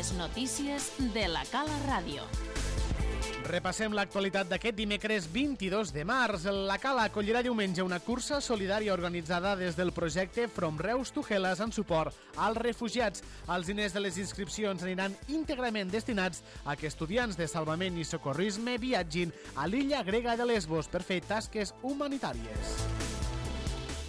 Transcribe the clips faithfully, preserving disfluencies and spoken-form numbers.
Les notícies de la Cala Ràdio. Repassem l'actualitat d'aquest dimecres vint-i-dos de març. La Cala acollirà diumenge una cursa solidària organitzada des del projecte From Reus to Hellas en suport als refugiats. Els diners de les inscripcions aniran íntegrament destinats a que estudiants de salvament i socorrisme viatgin a l'illa grega de Lesbos per fer tasques humanitàries.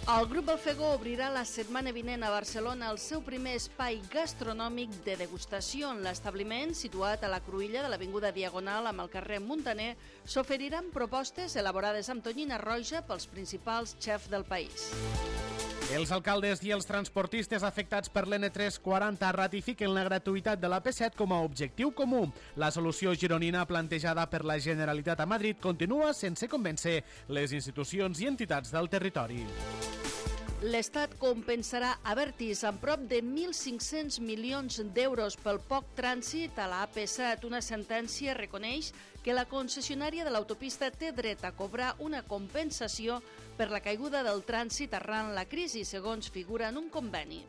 El Grup Balfegó obrirà la setmana vinent a Barcelona el seu primer espai gastronòmic de degustació. En l'establiment, situat a la cruïlla de l'avinguda Diagonal amb el carrer Muntaner, s'oferiran propostes elaborades amb tonyina roja pels principals xefs del país. Els alcaldes i els transportistes afectats per l'N tres quaranta ratifiquen la gratuïtat de la P set com a objectiu comú. La solució gironina plantejada per la Generalitat a Madrid continua sense convèncer les institucions i entitats del territori. L'Estat compensarà Abertis amb prop de mil cinc-cents milions d'euros pel poc trànsit a la A P set. Una sentència reconeix que la concessionària de l'autopista té dret a cobrar una compensació per la caiguda del trànsit arran la crisi, segons figura en un conveni.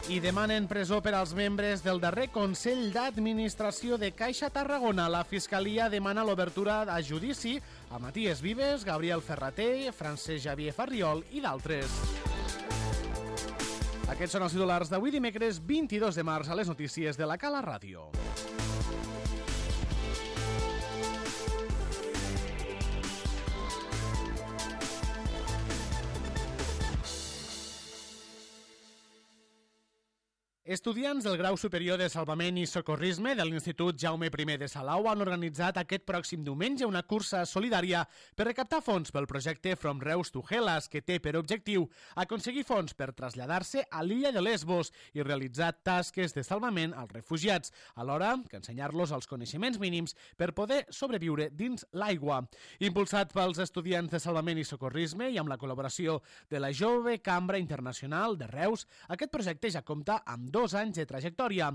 I demanen presó per als membres del darrer Consell d'Administració de Caixa Tarragona. La Fiscalia demana l'obertura a judici a Matías Vives, Gabriel Ferrater, Francesc Xavier Farriol i d'altres. Aquests són els titulars d'avui dimecres vint-i-dos de març a les notícies de la Cala Ràdio. Estudiants del grau superior de Salvament i Socorrisme de l'Institut Jaume I de Salau han organitzat aquest pròxim diumenge una cursa solidària per recaptar fons pel projecte From Reus to Hellas, que té per objectiu aconseguir fons per traslladar-se a l'illa de Lesbos i realitzar tasques de salvament als refugiats, alhora que ensenyar-los els coneixements mínims per poder sobreviure dins l'aigua. Impulsat pels estudiants de Salvament i Socorrisme i amb la col·laboració de la Jove Cambra Internacional de Reus, aquest projecte ja compta amb dos anys de trajectòria.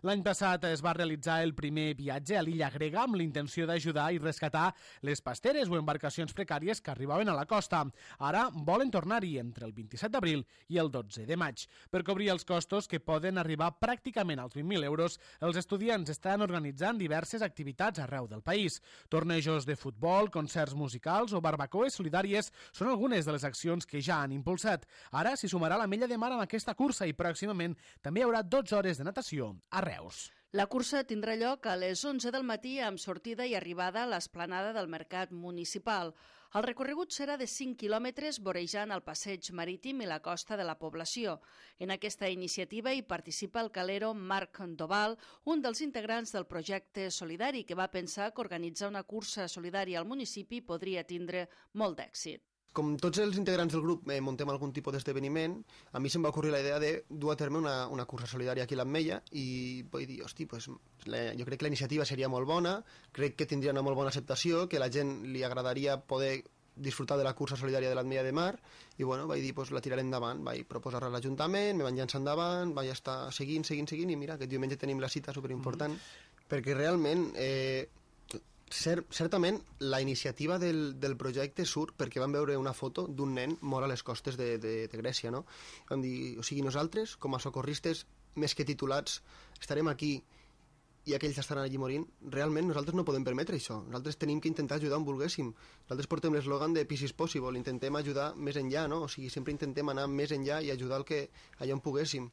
L'any passat es va realitzar el primer viatge a l'illa grega amb l'intenció d'ajudar i rescatar les pasteres o embarcacions precàries que arribaven a la costa. Ara volen tornar-hi entre el vint-i-set d'abril i el dotze de maig. Per cobrir els costos, que poden arribar pràcticament als vint mil euros, els estudiants estan organitzant diverses activitats arreu del país. Tornejos de futbol, concerts musicals o barbacoes solidàries són algunes de les accions que ja han impulsat. Ara s'hi sumarà la Mella de Mar amb aquesta cursa i pròximament també hi haurà dotze hores de natació a Reus. La cursa tindrà lloc a les onze del matí amb sortida i arribada a l'esplanada del Mercat Municipal. El recorregut serà de cinc quilòmetres vorejant el passeig marítim i la costa de la població. En aquesta iniciativa hi participa el calero Marc Doval, un dels integrants del projecte solidari, que va pensar que organitzar una cursa solidària al municipi podria tindre molt d'èxit. Com tots els integrants del grup eh, muntem algun tipus d'esdeveniment, a mi se'm va ocorrir la idea de dur a terme una, una cursa solidària aquí a l'Ametlla i vaig dir, hosti, pues, la, jo crec que la iniciativa seria molt bona, crec que tindria una molt bona acceptació, que la gent li agradaria poder disfrutar de la cursa solidària de l'Ametlla de Mar i bueno, vaig dir, pues, la tiraré endavant, vaig proposar-la a l'Ajuntament, me van llançar endavant, vaig estar seguint, seguint, seguint i mira, aquest diumenge tenim la cita superimportant, mm. perquè realment... Eh, Cert, certament la iniciativa del, del projecte surt perquè vam veure una foto d'un nen mort a les costes de, de, de Grècia, no? Vam dir, o sigui, nosaltres com a socorristes més que titulats estarem aquí i aquells estaran allí morint, realment nosaltres no podem permetre això, nosaltres tenim que intentar ajudar on volguéssim, nosaltres portem l'eslògan de Peace is possible, intentem ajudar més enllà, no? O sigui, sempre intentem anar més enllà i ajudar el que allà on poguéssim.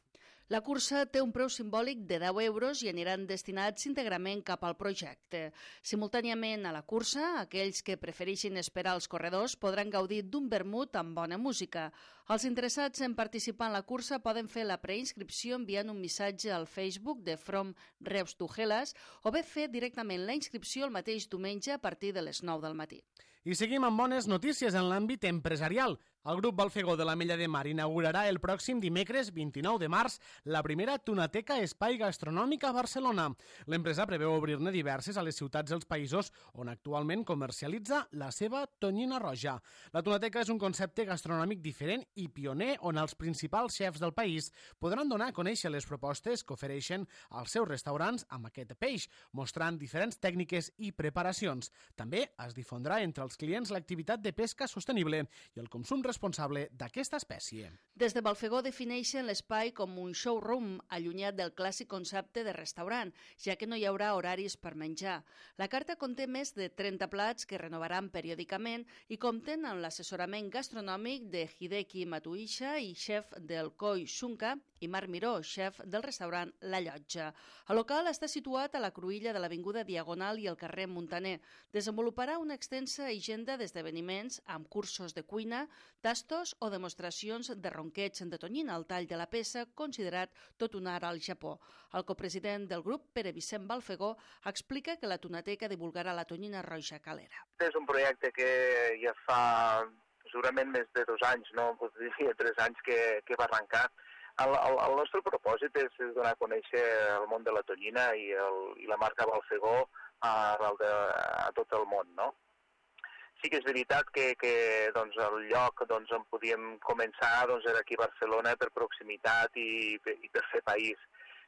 La cursa té un preu simbòlic de deu euros i aniran destinats íntegrament cap al projecte. Simultàniament a la cursa, aquells que prefereixin esperar als corredors podran gaudir d'un vermut amb bona música. Els interessats en participar en la cursa poden fer la preinscripció enviant un missatge al Facebook de From Reus to Hellas o bé fer directament la inscripció el mateix diumenge a partir de les nou del matí. I seguim amb bones notícies en l'àmbit empresarial. El grup Balfegó de l'Ametlla de Mar inaugurarà el pròxim dimecres vint-i-nou de març la primera Tunateca Espai Gastronòmic a Barcelona. L'empresa preveu obrir-ne diverses a les ciutats dels països on actualment comercialitza la seva tonyina roja. La Tunateca és un concepte gastronòmic diferent i pioner on els principals xefs del país podran donar a conèixer les propostes que ofereixen als seus restaurants amb aquest peix, mostrant diferents tècniques i preparacions. També es difondrà entre els clients l'activitat de pesca sostenible i el consum responsable d'aquesta espècie. Des de Balfegó defineixen l'espai com un showroom allunyat del clàssic concepte de restaurant, ja que no hi haurà horaris per menjar. La carta conté més de trenta plats que renovaran periòdicament i compten amb l'assessorament gastronòmic de Hideki Matuisha i xef del Koi Shunka, i Marc Miró, xef del restaurant La Llotja. El local està situat a la cruïlla de l'Avinguda Diagonal i el carrer Muntaner. Desenvoluparà una extensa agenda d'esdeveniments amb cursos de cuina, tastos o demostracions de ronqueig de tonyina al tall de la peça, considerat tot un art al Japó. El copresident del grup, Pere Vicent Balfegó, explica que la Tonateca divulgarà la tonyina roja calera. És un projecte que ja fa segurament més de dos anys, no? Diria tres anys que, que va arrencar. El, el, el nostre propòsit és, és donar a conèixer el món de la tonyina i, el, i la marca Balfegó a, de, a tot el món, no? Sí que és veritat que, que doncs, el lloc doncs, on podíem començar doncs, era aquí a Barcelona per proximitat i, i per fer país,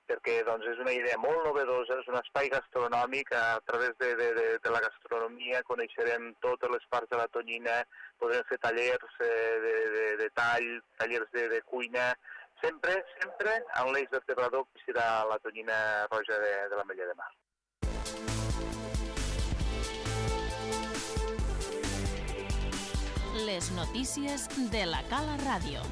perquè doncs, és una idea molt novedosa, és un espai gastronòmic, a través de, de, de, de la gastronomia coneixerem totes les parts de la tonyina, podrem fer tallers eh, de, de, de tall, tallers de, de cuina, sempre, sempre amb l'eix vertebrador que serà la tonyina roja de, de l'Ametlla de Mar. Les notícies de la Cala Ràdio.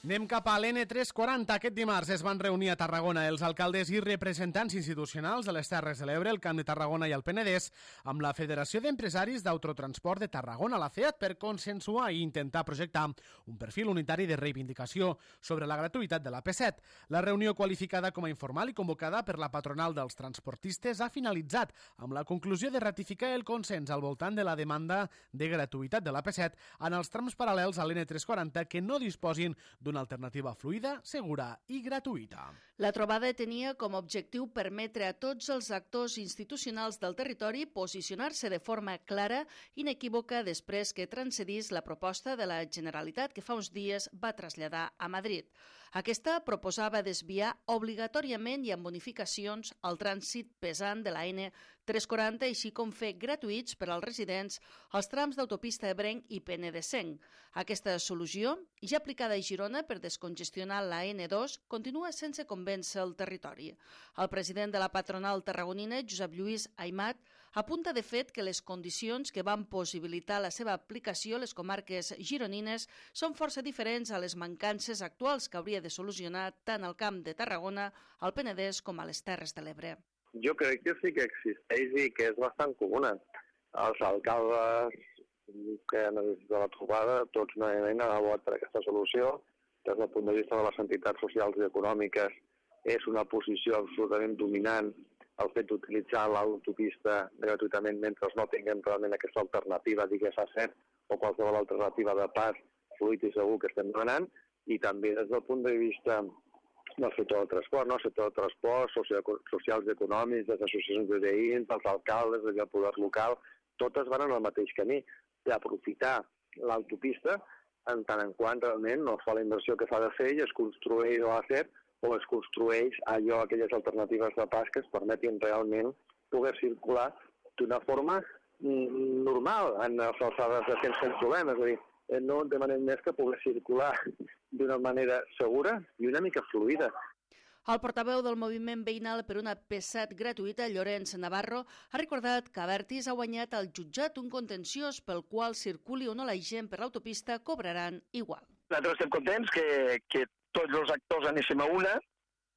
Anem cap a l'N tres quaranta. Aquest dimarts es van reunir a Tarragona els alcaldes i representants institucionals de les Terres de l'Ebre, el Camp de Tarragona i el Penedès, amb la Federació d'Empresaris d'Autotransport de Tarragona, la FEAT, per consensuar i intentar projectar un perfil unitari de reivindicació sobre la gratuïtat de la P set. La reunió, qualificada com a informal i convocada per la patronal dels transportistes, ha finalitzat amb la conclusió de ratificar el consens al voltant de la demanda de gratuïtat de la P set en els trams paral·lels a l'N tres quaranta que no disposin d'una alternativa fluida, segura i gratuïta. La trobada tenia com a objectiu permetre a tots els actors institucionals del territori posicionar-se de forma clara i inequívoca després que transcedís la proposta de la Generalitat que fa uns dies va traslladar a Madrid. Aquesta proposava desviar obligatòriament i amb bonificacions el trànsit pesant de la N tres quaranta, així com fer gratuïts per als residents els trams d'autopista ebrenc i penedesenc. Aquesta solució, ja aplicada a Girona per descongestionar la N dos, continua sense convèncer el territori. El president de la patronal tarragonina, Josep Lluís Aimat, apunta de fet que les condicions que van possibilitar la seva aplicació a les comarques gironines són força diferents a les mancances actuals que hauria de solucionar tant el Camp de Tarragona, al Penedès com a les Terres de l'Ebre. Jo crec que sí que existeix i que és bastant comuna. Els alcaldes que han de la trobada, tots unànimement han votat per aquesta solució. Des del punt de vista de les entitats socials i econòmiques, és una posició absolutament dominant el fet d'utilitzar l'autopista gratuïtament mentre no tinguem realment aquesta alternativa, digués a set, o qualsevol alternativa de pas fluid i segur que estem demanant, i també des del punt de vista del sector del transport, no? El sector del transport, socials i econòmics, les associacions de veïns, els alcaldes, el poder local, totes van en el mateix camí d'aprofitar l'autopista en tant en quant realment no fa la inversió que fa de fer i es construeix a set o es construeix allò, aquelles alternatives de pas que es permetin realment poder circular d'una forma normal en les alçades de temps sense problemes. És a dir, no demanem més que poder circular d'una manera segura i una mica fluida. El portaveu del moviment veïnal per una P set gratuïta, Llorenç Navarro, ha recordat que Abertis ha guanyat al jutjat un contenciós pel qual circuli o no la gent per l'autopista cobraran igual. Nosaltres estem contents que, que tots els actors anéssim a una.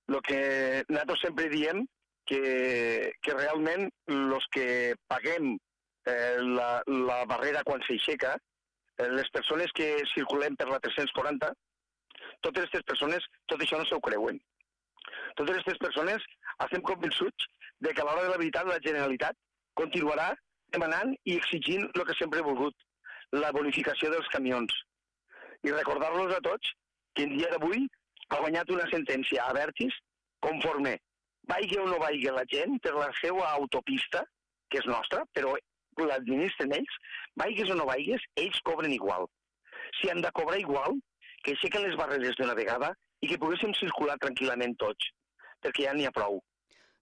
El que nosaltres sempre diem que, que realment els que paguem eh, la, la barrera quan s'aixeca, eh, les persones que circulem per la tres-cents quaranta, totes aquestes persones, tot això no s'ho creuen. Totes aquestes persones estem convençuts de que a l'hora de la veritat la Generalitat continuarà demanant i exigint el que sempre ha volgut, la bonificació dels camions. I recordar-los a tots que en dia d'avui ha guanyat una sentència a Abertis conforme vaigui o no vaigui la gent per la seva autopista, que és nostra, però l'administren ells, vaigues o no vaigues, ells cobren igual. Si han de cobrar igual, que aixequen les barreres d'una vegada i que poguéssim circular tranquil·lament tots, perquè ja n'hi ha prou.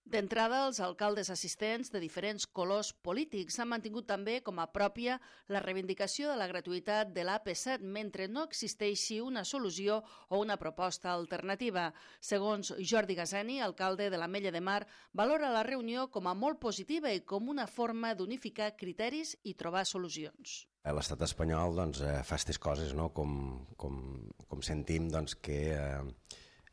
D'entrada, els alcaldes assistents de diferents colors polítics han mantingut també com a pròpia la reivindicació de la gratuïtat de l'A P set, mentre no existeixi una solució o una proposta alternativa. Segons Jordi Gazeni, alcalde de l'Ametlla de Mar, valora la reunió com a molt positiva i com una forma d'unificar criteris i trobar solucions. L'estat espanyol doncs, fa aquestes coses, no? com, com, com sentim doncs, que eh,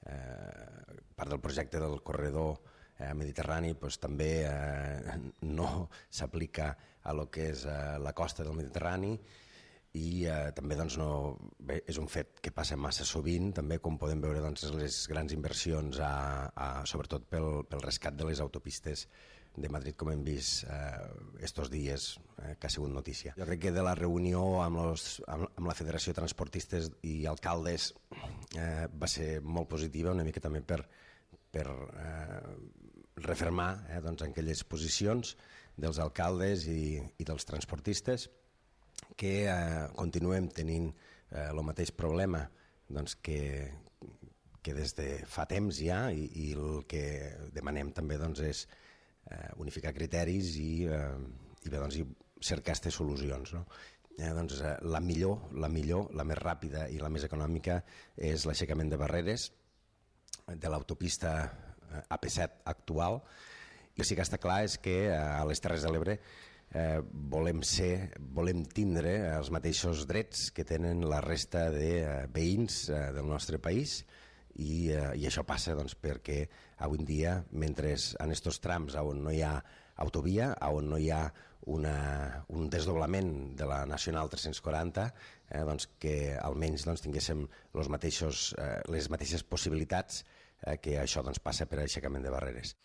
eh, part del projecte del corredor Eh, mediterrani pues, també eh, no s'aplica a lo que és eh, la costa del Mediterrani i eh, també doncs, no, bé, és un fet que passa massa sovint, també com podem veure doncs, les grans inversions, a, a, sobretot pel, pel rescat de les autopistes de Madrid, com hem vist eh, estos dies, eh, que ha sigut notícia. Jo crec que de la reunió amb, los, amb, amb la Federació de Transportistes i Alcaldes eh, va ser molt positiva, una mica també per per eh, refermar eh, doncs, aquelles posicions dels alcaldes i, i dels transportistes que eh, continuem tenint eh, el mateix problema doncs, que, que des de fa temps ja i, i el que demanem també doncs, és eh, unificar criteris i, eh, i, bé, doncs, i cercar aquestes solucions. No? Eh, doncs, eh, la millor, la millor, la més ràpida i la més econòmica és l'aixecament de barreres de l'autopista A P set actual. I el que sí que està clar és que a les Terres de l'Ebre eh, volem ser, volem tindre els mateixos drets que tenen la resta de eh, veïns eh, del nostre país i, eh, i això passa doncs, perquè avui en dia, mentre en aquests trams on no hi ha autovia, on no hi ha una, un desdoblament de la Nacional tres-cents quaranta, eh, doncs, que almenys doncs, tinguéssim los mateixos, eh, les mateixes possibilitats eh, que això doncs, passa per aixecament de barreres.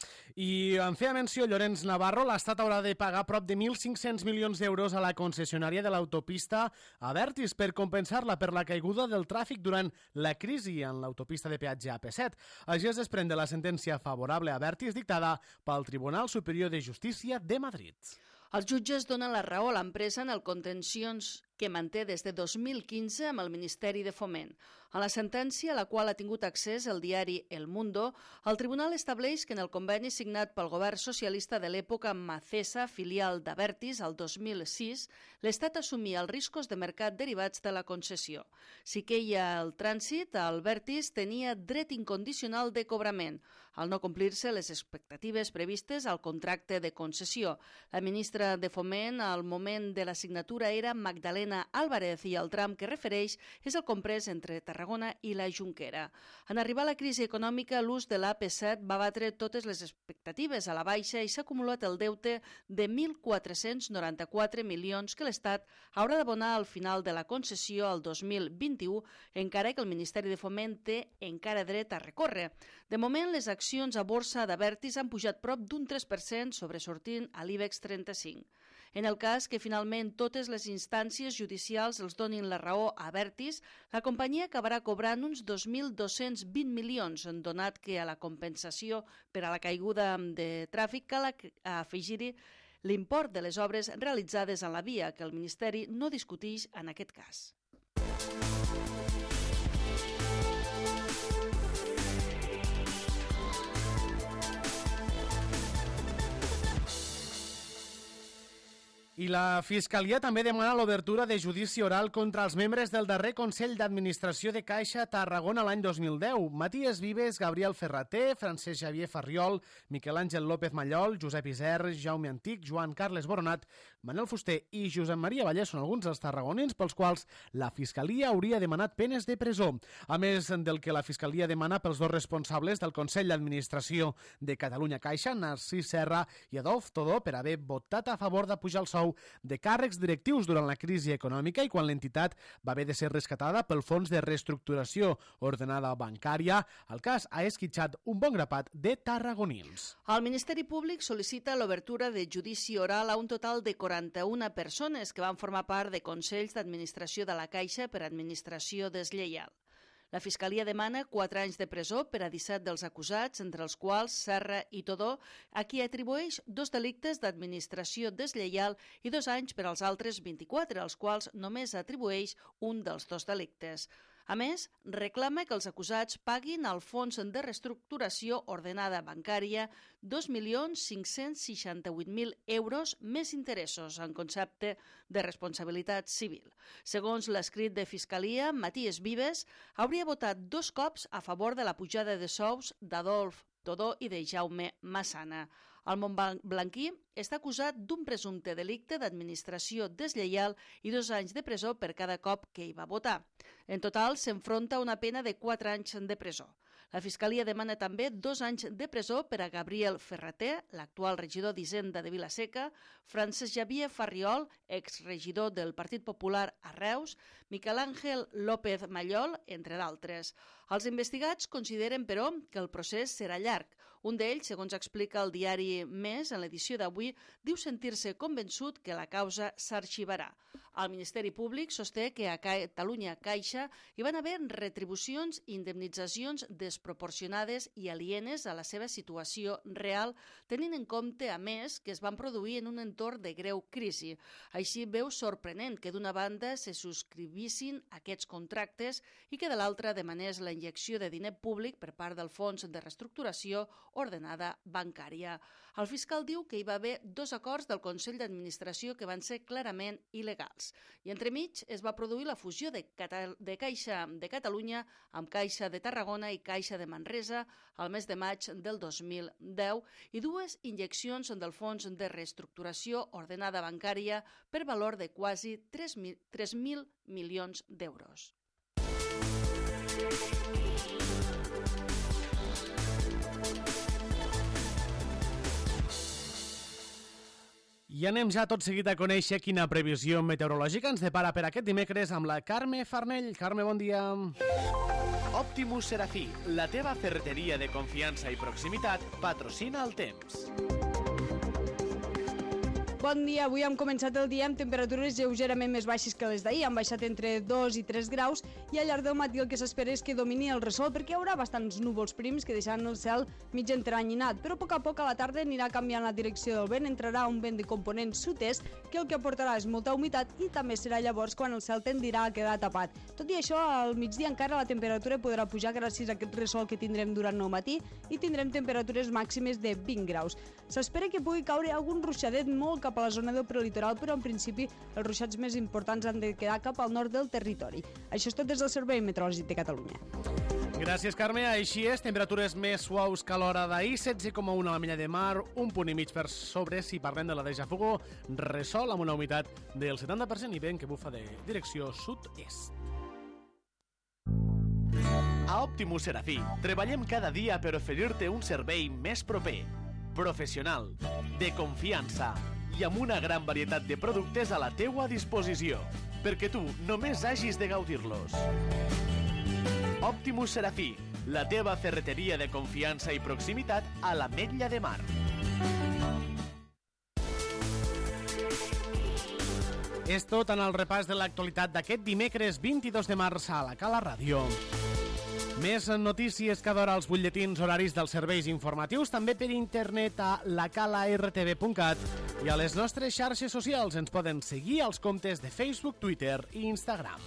I en feia menció Llorenç Navarro, l'Estat haurà de pagar prop de mil cinc-cents milions d'euros a la concessionària de l'autopista Abertis per compensar-la per la caiguda del tràfic durant la crisi en l'autopista de peatge A P set. Així es desprèn de la sentència favorable a Abertis dictada pel Tribunal Superior de Justícia de Madrid. Els jutges donen la raó a l'empresa en el contencions que manté des de dos mil quinze amb el Ministeri de Foment. En la sentència, a la qual ha tingut accés el diari El Mundo, el tribunal estableix que en el conveni signat pel govern socialista de l'època amb Macesa, filial d'Abertis, el dos mil sis, l'Estat assumia els riscos de mercat derivats de la concessió. Si queia el trànsit, Abertis tenia dret incondicional de cobrament, al no complir-se les expectatives previstes al contracte de concessió. La ministra de Foment, al moment de la signatura, era Magdalena Álvarez i el tram que refereix és el comprès entre Tarragona i la Jonquera. En arribar a la crisi econòmica, l'ús de l'A P set va batre totes les expectatives a la baixa i s'ha acumulat el deute de mil quatre-cents noranta-quatre milions que l'Estat haurà d'abonar al final de la concessió el dos mil vint-i-u, encara que el Ministeri de Foment té encara dret a recórrer. De moment, les accions a borsa d'Abertis han pujat prop d'un tres per cent, sobresortint a l'IBEX trenta-cinc. En el cas que finalment totes les instàncies judicials els donin la raó a Abertis, la companyia acabarà cobrant uns dos mil dos-cents vint milions, donat que a la compensació per a la caiguda de tràfic cal afegir-hi l'import de les obres realitzades en la via, que el Ministeri no discuteix en aquest cas. I la Fiscalia també demana l'obertura de judici oral contra els membres del darrer Consell d'Administració de Caixa Tarragona l'any dos mil deu. Matías Vives, Gabriel Ferrater, Francesc Xavier Farriol, Miquel Àngel López Mallol, Josep Isern, Jaume Antic, Joan Carles Boronat, Manel Fuster i Josep Maria Vallès són alguns dels tarragonins pels quals la Fiscalia hauria demanat penes de presó. A més del que la Fiscalia demana pels dos responsables del Consell d'Administració de Catalunya Caixa, Narcís Serra i Adolf Todó, per haver votat a favor de pujar el sou de càrrecs directius durant la crisi econòmica i quan l'entitat va haver de ser rescatada pel Fons de Reestructuració Ordenada Bancària. El cas ha esquitxat un bon grapat de tarragonins. El Ministeri Públic sol·licita l'obertura de judici oral a un total de quaranta-una persones que van formar part de consells d'administració de la Caixa per administració deslleial. La Fiscalia demana quatre anys de presó per a disset dels acusats, entre els quals Serra i Todó, a qui atribueix dos delictes d'administració deslleial i dos anys per als altres vint-i-quatre, als quals només atribueix un dels dos delictes. A més, reclama que els acusats paguin al Fons de Reestructuració Ordenada Bancària dos milions cinc-cents seixanta-vuit mil euros més interessos en concepte de responsabilitat civil. Segons l'escrit de Fiscalia, Matías Vives hauria votat dos cops a favor de la pujada de sous d'Adolf Todó i de Jaume Massana. El montblanquí està acusat d'un presumpte delicte d'administració deslleial i dos anys de presó per cada cop que hi va votar. En total, s'enfronta a una pena de quatre anys de presó. La Fiscalia demana també dos anys de presó per a Gabriel Ferrater, l'actual regidor d'Hisenda de Vila-seca, Francesc Xavier Farriol, exregidor del Partit Popular a Reus, Miquel Àngel López Mallol, entre d'altres. Els investigats consideren, però, que el procés serà llarg. Un d'ells, segons explica el diari Més en l'edició d'avui, diu sentir-se convençut que la causa s'arxivarà. El Ministeri Públic sosté que a Catalunya Caixa hi van haver retribucions i indemnitzacions desproporcionades i alienes a la seva situació real, tenint en compte, a més, que es van produir en un entorn de greu crisi. Així veu sorprenent que d'una banda se subscrivissin aquests contractes i que de l'altra demanés la injecció de diner públic per part del Fons de Reestructuració Ordenada Bancària. El fiscal diu que hi va haver dos acords del Consell d'Administració que van ser clarament il·legals. I entremig es va produir la fusió de, Cata- de Caixa de Catalunya amb Caixa de Tarragona i Caixa de Manresa al mes de maig del dos mil deu i dues injeccions del Fons de Reestructuració Ordenada Bancària per valor de quasi tres mil milions d'euros. I anem ja tot seguit a conèixer quina previsió meteorològica ens depara per aquest dimecres amb la Carme Farnell. Carme, bon dia. Optimus Serafí, la teva ferreteria de confiança i proximitat, patrocina el temps. Bon dia, avui hem començat el dia amb temperatures lleugerament més baixes que les d'ahir, han baixat entre dos i tres graus i al llarg del matí el que s'espera és que domini el ressol perquè hi haurà bastants núvols prims que deixaran el cel mig entranyinat, però a poc a poc a la tarda anirà canviant la direcció del vent, entrarà un vent de component sud-est que el que aportarà és molta humitat i també serà llavors quan el cel tendirà a quedar tapat. Tot i això, al migdia encara la temperatura podrà pujar gràcies a aquest ressol que tindrem durant el matí i tindrem temperatures màximes de vint graus. S'espera que pugui caure algun ruixadet molt cap a la zona del prelitoral, però en principi els ruixats més importants han de quedar cap al nord del territori. Això és tot des del Servei Meteorològic de Catalunya. Gràcies, Carme. Així és, temperatures més suaus que a l'hora d'ahir, setze coma u a la Mella de Mar, un punt i mig per sobre si parlem de la de Jafugo, ressol amb una humitat del setanta per cent i vent que bufa de direcció sud-est. A Optimus Serafí treballem cada dia per oferir-te un servei més proper, professional, de confiança i amb una gran varietat de productes a la teua disposició, perquè tu només hagis de gaudir-los. Optimus Serafí, la teva ferreteria de confiança i proximitat a l'Ametlla de Mar. És tot en el repàs de l'actualitat d'aquest dimecres vint-i-dos de març a la Cala Ràdio. Més notícies cada hora als butlletins horaris dels serveis informatius, també per internet a la cala r t v punt cat i a les nostres xarxes socials ens poden seguir als comptes de Facebook, Twitter i Instagram.